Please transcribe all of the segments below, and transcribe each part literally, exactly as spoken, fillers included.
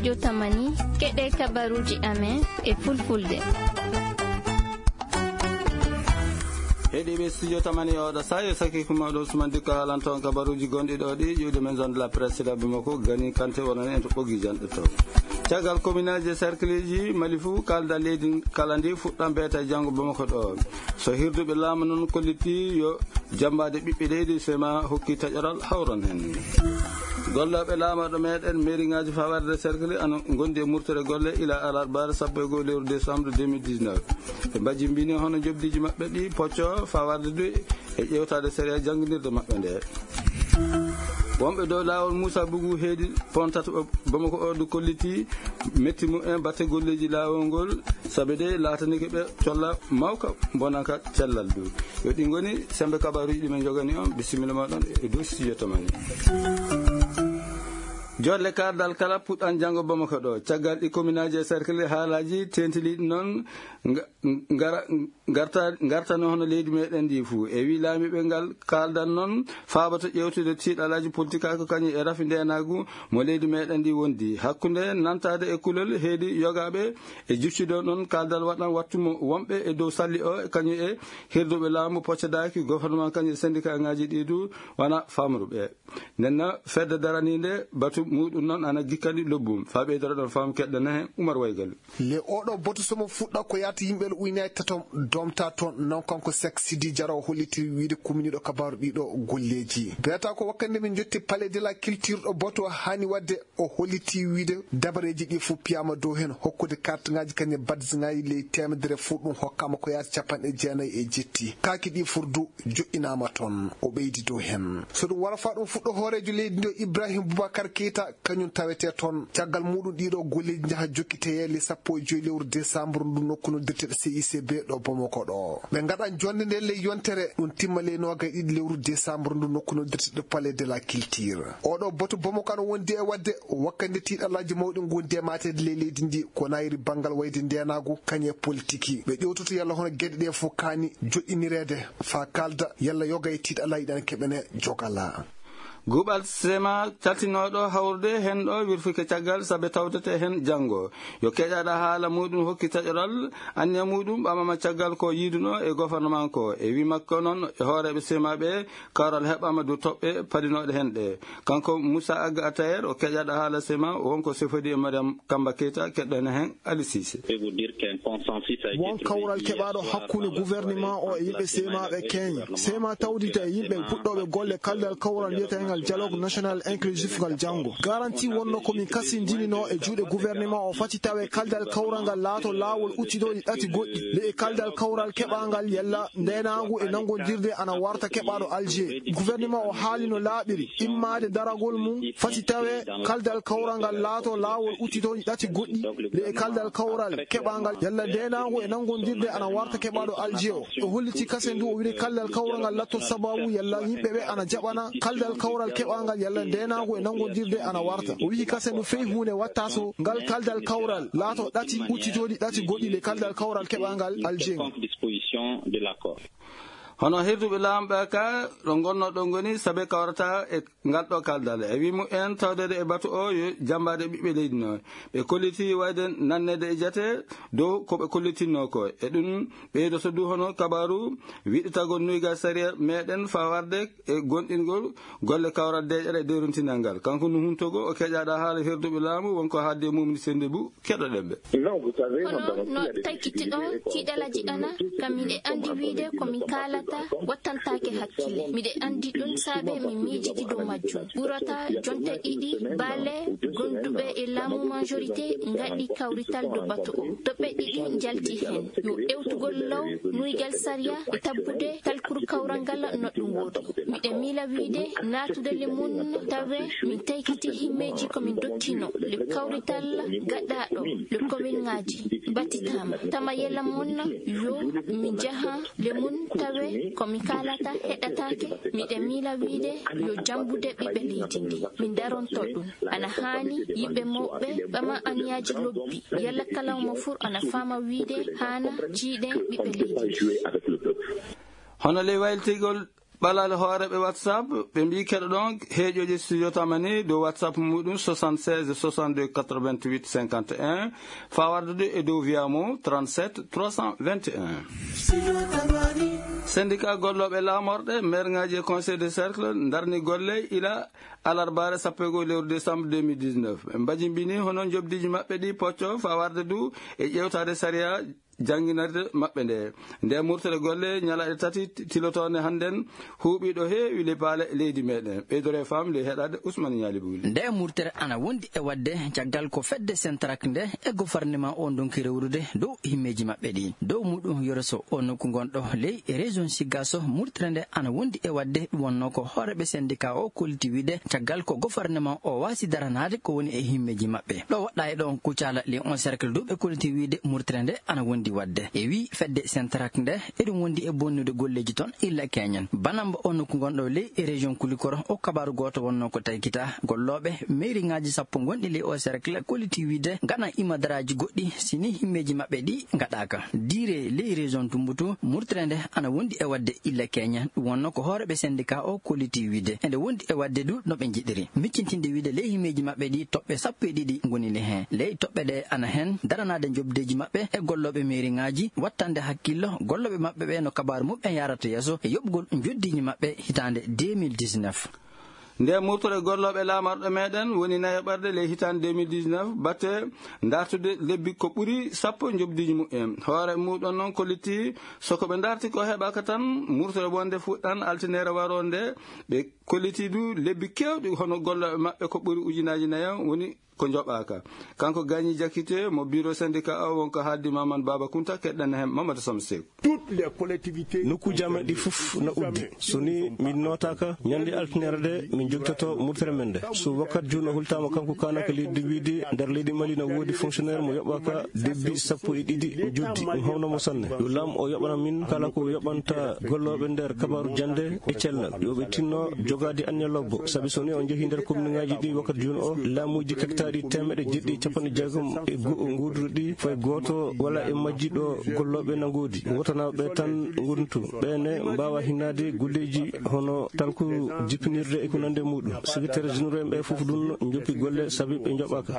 Yo tamani, keɗe kabaruji amen e fulfulde. Heɗiɓe studio tamani oɗo sayo saki kuma ɗo sumandi ko haalanton kabaruji gonɗi ɗo ɗi ƴuwde men zone de la presse labi makko gani kante wonon en to ɓogi janɗe to. Caggal communauté cercle ji mali fou kalda leydi kala ndi fuɗɗan beeta janngo bamako ɗo. So hirduɓe laamu noon kolliti yo jambaade ɓiɓɓe leydi sema hokki taƴoral hawron heen. Gollooɓe laamorɗo meeɗen mairie ŋaaji fawarde cercle ana ngondi e murtere golle ila alarbaare sappo e goo lewru décembre deux mille dix-neuf. Ɓe mbajimbini hono njoɓdiiji maɓɓe ɗi pocco fawarde du e ƴeewtaade sariya jannginirde maɓɓe nde. Wonɓe dow laawol muusa bugu heedi pontata bamako o du kolliti metti mumen batte golleeji laawol ngol. Sabe de laatanike ɓe colla mawka bonanka cellal du. Yo ɗi ngoni sembe kabaruji ɗi men jogani on. Bisimilla moɗon e dow studio tamani. Jolle kardal kala puɗɗan janngo bamako ɗo caggal ɗi communauté e cercle haalaji tentiliɗi noon. Nga- ngara ngarta ngartano hono leydi meɗen ndi fuu e wi laamiɓe ngal kaldan noon faabata ƴewtude tiiɗalaji politique ko kañum e rafi ndenagu mo leydi meɗen ndi wondi hakkunde nantade e kulol heedi yogaɓe e jiccude noon kaldal waɗan wattu mo wonɓe e dow salli o kañum e hirduɓe laamu poccadaki gouvernement kañum e syndicat ngaji ɗi du wona famruɓe. Nden noon fedde daraninde batu muɗum noon ana gikkani lobbum fa ɓeydoro ɗon fam keɗɗana hen umar waygal. Le oɗo boto somo fuɗɗa ko yata yimɓe le uynayi tatom domta toon non kanko sek sidi jara o holliti wiide kuminiɗo kabaru ɗiɗo golleji beta ko wakkande min jotti palais de la culture ɗo boto hani wadde o holliti wiide dabareji ɗi fof piyama dow hen hokkude kartengaji kañe badsingaji ley temedere fof ɗum hokkama ko yata capanɗe jeenayi e jetti kaki ɗi fof du joɗɗinama toon o ɓeydi dow hen so ɗum wara fa ɗum fuɗɗo hoorejo leydi ndi o ibrahim boubacar keyta kañum tawete toon caggal muɗum ɗiɗo golleji jaaha jokkiteye le sappo e joyi lewru décembre ndu nokku noddirteɗo cicb ɗo bomoko ɗo ɓe gaɗa jonde nde ley yontere ɗum timma ley noga e ɗiɗi lewru décembre ndu nokku noddirteɗo palais de la culture oɗo boto bomoko ana wondi e wadde wakkande tiɗalaji mawɗi gondi e matede ley leydi ndi ko nayri banngal wayde ndenagu kañe politiki ɓe ƴewtoto yalla hono gueɗe ɗe fof kani joɗɗinirede fa kalda yalla yoga e tiɗalaji ɗan keɓene jogala. Guɓal sema caltinoɗo hawrude hen ɗo wirfike caggal saabe tawdete hen janngo yo keƴaɗa haala muɗum hokki taƴoral anniya muɗum ɓamama caggal ko yiduno e gouvernement ko e wi makko noon e hooreɓe sema ɓe kawral heɓama du toɓɓe padinoɗe hen ɗe. Kanko moussa agga atayer o keƴaɗo haala sema wonko sefodi e mariam kamba keyta keɗɗen hen. Ali sise. Won kawral keɓaɗo hakkunde gouvernement o e yimɓe semaɓe keña sema tawdita e yimɓe puɗɗoɓe golle kaldal kawral wiyetengal dialogue national inclusif ngal janngo garanti wonno komin kasindinino e juuɗe gouvernement o fati tawe kaldal kawral ngal laato laawol uttitoji ɗati goɗɗi le e kaldal kawral keɓangal yalla ndenagu e nanngodirde ana warta keɓaɗo alger gouvernement o haalino laaɓiri immade daragol mum fati tawe kaldal kawral ngal laato laawol uttitoji ɗati goɗɗi le e kaldal kawral keɓangal yalla ndenagu e nanngodirde ana warta keɓaɗo alger o o holliti kasen du o wiide kaldal kawral ngal latto sababu yalla yimɓeɓe ana jaɓana kaldal kawral keɓangal yalla ndenagu e nanngodirde ana warta o wihi kasen du fey hunde watta so ngal kaldal kawral laato ɗati uttitoji ɗati goɗɗi le kaldal kawral keɓangal alger ngal. Hono hirduɓe laamu ɓe ka ɗo gonnoɗo ngoni saabe kawrata e ngal ɗo kaldal e wi mumen tawdede e batu o yo jambaade ɓiɓɓe leydi no ɓe kolliti wayde nannede e jate dow ko ɓe kollitinno ko e ɗum ɓeydoto du hono kabaru wiɗitagol nuyga sariya meɗen fa warde e gonɗingol golle kawral deƴere e dewrintinal ngal kanko no huntogo o keƴaɗa haala hirduɓe laamu wonko haalde mumni sende bu keɗoɗen ɓe. Hono no taykitiɗo tiiɗalaji ɗana kam miɗe andi wiide ko min kaalata wattantaake hakkille miɗe andi ɗum saabe min miijidi dow majjum ɓurata jonte ɗiɗi baale gonduɓe e laamu majorité ngaɗi kawrital dow bato o toɓɓe ɗiɗi njalti heen yo ewtugol law nuygal sariya e tabbude talkuru kawral ngal no ɗum woori miɗe miila wiide naatude le mum tawe min taykiti himmeeji ko min dottino le kawrital gaɗɗaaɗo le komin ŋaaji battitaama tama yela mon yo min njaha le mum tawe ko min kaalata heɗataake miɗe miila wiide yo jambude ɓiɓɓe leydi ndi min daronto ɗum ana haani yimɓe mawɓe ɓama aniyaaji lobbi yalla kala omo fur ana faama wiide haana jiiɗen ɓiɓɓe leydi ndi. Hono ley waylitigol Ɓalal hooreeɓe WhatsApp, ɓe mbii keɗoɗon heeƴooji Studio Tamani dow WhatsApp muɗum soixante-seize soixante-deux quatre-vingt-huit cinquante et un, faa wardude e dow via mo trente-sept trois cent vingt et un. Syndicat gollooɓe laamorɗe, mairŋaaji e conseil de cercle ndarni golle ila alarbaare sappo e go'o lewru décembre deux mille dix-neuf. Ɓe mbajimbini hono njoɓdiiji maɓɓe ɗi pocco faa warde du e ƴeewtaade sariya jannginirde maɓɓe nde. Nde murtere golle ñalaaɗe tati tilotoonde hannden huuɓi ɗo heewi le paale leydi meɗen. Ɓeydore fam le heɗade Ousmane Ñaali Buuli. Nde murtere ana wondi e wadde caggal ko fedde Sentrak nde e gouvernement o ndonki rewrude dow himmeeji maɓɓe ɗi. Dow muɗum yoroso o nokku gonɗo ley région Sigaso, murtere nde ana wondi e wadde ɗum wonno ko hooreɓe syndicat o kolliti wiide caggal ko gouvernement o waasi daranaade ko woni e himmeeji maɓɓe. Ɗo woɗɗa e ɗon Kucala Léon Cercle du ɓe kolliti wiide murtere nde ana wondi wadde. E wi fedde Sentrak nde eɗum wondi e bonnude golleeji toon illa keñen. Banamba o nokku gonɗo ley e région Kulikoro o kabaru gooto wonno ko taykita gollooɓe mairie ŋaaji sappo gonɗi ley o cercle kolliti wiide gaɗan imadaraaji goɗɗi sini himmeeji maɓɓe ɗi gaɗaaka. Diire ley région Tumbutu murtere nde ana wondi e wadde illa keñen. Ɗum wonno ko hooreɓe syndicat o kolliti wiide ende wondi e wadde du no ɓe njiɗiri. Miccintinde wiide ley himmeeji maɓɓe ɗi toɓɓe sappo e ɗiɗi ngoni le heen. Ley toɓɓe ɗe ana heen daranaade njoɓdeeji maɓɓe e gollooɓe mairie ŋaaji, wattande hakkillo gollooɓe maɓɓe ɓe no kabaaru muɓɓen yaarata yeeso e yoɓgol njoɓdiiji maɓɓe hitaande deux mille dix-neuf. Nde murtore gollooɓe laamarɗo meɗen woni nayaɓarde ley hitaande deux mille dix-neuf, batte dartude lebbi ko ɓuri sappo njoɓdiiji muɓɓen. Hoore muɗum noon kolliti so ko ɓe darti ko heɓaka tan murtore wonde fuɗɗan altineere waroonde. Ɓe kolliti du lebbi keewɗi hono gollooɓe maɓɓe ko ɓuri ujunaaji nayo woni ko njoɓaaka. Kanko Gagny Diakité mo bureau syndicat o wonko haaldi Mamadou Baba Kounta, keɗɗen heen Mamadou Samb Seeku. Nokkuuji amen ɗi fof na uddi. So ni min nootaaka, ñande altineere de min jogtoto murtere men de. So wakkat juuno hultaama kanko kaanaka leydi wiide nder leydi Mali na woodi fonctionnaire mo yoɓaaka debbi sappo e ɗiɗi joddi. Ɗum hawna mo sanne. Yo laam o yoɓana min kala ko yoɓanta gollooɓe nder kabaaru jannde e cellal. Yo ɓe tinno jogaade anniya lobbo. Sabi so ni on njehi nder commune ŋaaji ɗi wakkat juuno o, laamuuji kektaaɗi teemeɗe jeɗɗi e capanɗe jeegom e go'o nguurduɗi fay gooto wala e majji ɗo gollooɓe na ngoodi. Wotanaaɓe tan ngontu. Ɓe ne mbaawa hinnaade golleeji hono talku jippinirde e ko nande muɗum. Secrétaire généraux en ɓe fof ɗum njoppi golle sabi ɓe njoɓaaka.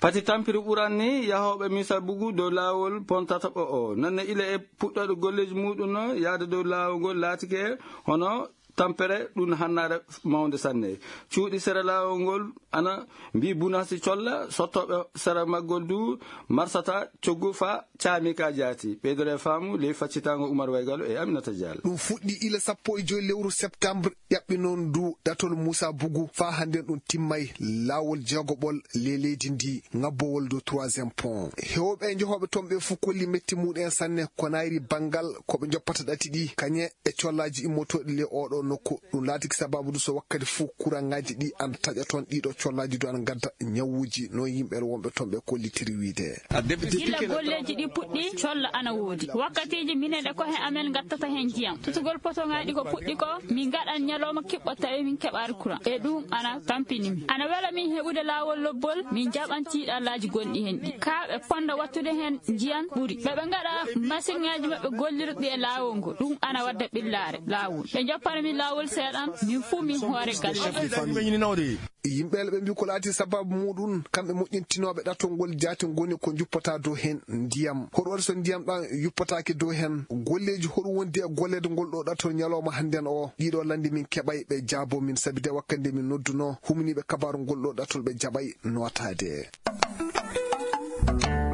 Pati tampiri ɓuran ni yahooɓe Misa Bugu dow laawol pon tataɓo o. Nonne ila e puɗɗooɗo golleeji muɗum no yahde dow laawol ngol laatike hono tampere ɗum hannaare mawnde sanne. Cuuɗi sera laawol ngol ana mbi bunasi colla, sottooɓe sera maggol du marsata coggu fa caami ka jaati. Ɓeydore faamu ley faccitaango Umar Waygalo e Aminata Diallo. Ɗum fuɗɗi ila sappo e joy lewru septembre, ƴaɓɓi noon ndu ɗatol Moussa Bougou faa hannden ɗum timmay laawol jeegoɓol ley leydi ndi, ŋabbowol dow troisième pont. Heewɓe e njehooɓe toon ɓe fof kolli metti muɗum en sanne ko nayri banngal ko ɓe njoppata ɗati ɗi, kañe e collaaji immotooɗi ley ooɗo nokku. Ɗum laatiki sabaabu ndu so wakkati fof kuraŋaaji ɗi ana taƴa toon, ɗiɗo collaaji du ana ngadda ñawuuji, noon yimɓe wonɓe toon ɓe kollitiri wiyde. Gila golleeji ɗi puɗɗi, collo ana woodi. Wakkatiiji minen e kohe amen ngattata heen ndiyam. Tutugol potoŋaaji ko puɗɗi ko, min ngaɗan ñalooma kiɓɓo tawi min keɓaari kuraŋ. E ɗum ana tampini min. Ana wela min heɓude laawol lobbol, min njaɓan tiiɗallaaji gonɗi heen ɗi. Kaa ɓe ponnda wattude heen ndiyam ɓuri. Ɓe ɓe ngaɗa masiŋaaji maɓɓe gollirɗi e laawol ngol. Ɗum ana wadda ɓillaare laawol. Ɓe njoppana min laawol seeɗan, min fuu min hoore galle. Yimɓe ɓe mbii ko laati sabaabu muɗum, kamɓe moƴƴintinooɓe ɗatol ngol jaati ngoni ko njuppata dow heen ndiyam. Hoɗum waɗi so ndiyam ɗam yuppataake dow heen? Golleeji hoɗum wondi e golleede ngol ɗo ɗatol ñalawma hannden o? Ɗiɗo lande min keɓay ɓe jaabo min, sabi de wakkati nde min noddunoo humniiɓe kabaaru ngol ɗo ɗatol ɓe jaɓay nootaade.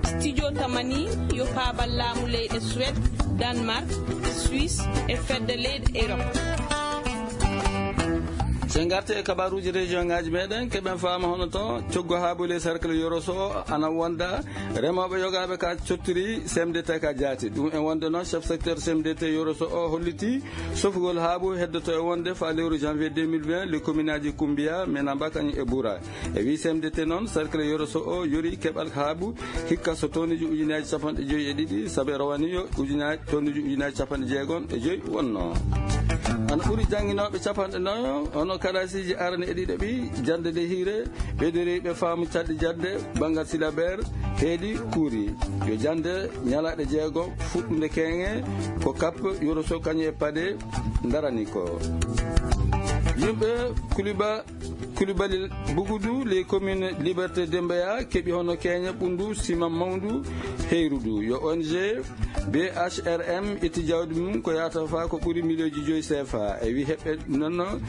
Studio Tamani yo paabal laamu leyɗe Suède, Danemark, Suisse e fedde leyɗe Europe. So en ngartii e kabaaruuji région ŋaaji meɗen, keɓen faama hono to coggu haabu ley cercle Yoroso o ana wonda remooɓe yogaaɓe ka cottiri C M D T ka jaati. Ɗum en wonde noon chef secteur C M D T Yoroso o holliti sofugol haabu heddoto e wonde faa lewru janvier deux mille vingt le commune aji Kumbiya, Menamba kañum e Bura. E wii C M D T noon, cercle Yoroso o yori keɓal haabu hikka so tonnuji ujunnaaji capanɗe joyi e ɗiɗi, sabu e rowani yo ujunnaaji, tonnuji ujunnaaji capanɗe jeegom e joyi wonno. Ana ɓuri jannginooɓe capanɗe nayo, hono kalaasiiji arane e ɗiɗaɓi, jannde nde hiire, ɓeydoriiɓe faamu caɗɗi jannde, banngal silabeer, heedi kuuri. Yo jannde ñalaaɗe jeego, fuɗɗunde keeŋe, ko kap, yoroso, kañum e paɗe, ndarani ko. Yimɓe Kouliba-, Koulibaly Bougudou, les communes Liberté Dembeya, keɓi hono keeña ɓunndu, sima mawndu, heyrudu. Yo O N G B H R M itti jawdi mum ko yahata faa ko ɓuri miliyooji joyi C F A. E wi heɓɓe noon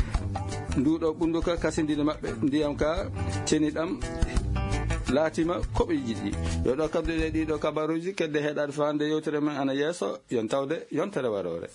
nduuɗo ɓunndu ka kasindini maɓɓe ndiyam ka ceniɗam laatima ko ɓe jiɗi. Yo ɗo kabduɗe ɗiɗo kabaruuji kedde heɗaade faa nde yewtere men ana yeeso. Yon tawde yontere waroore.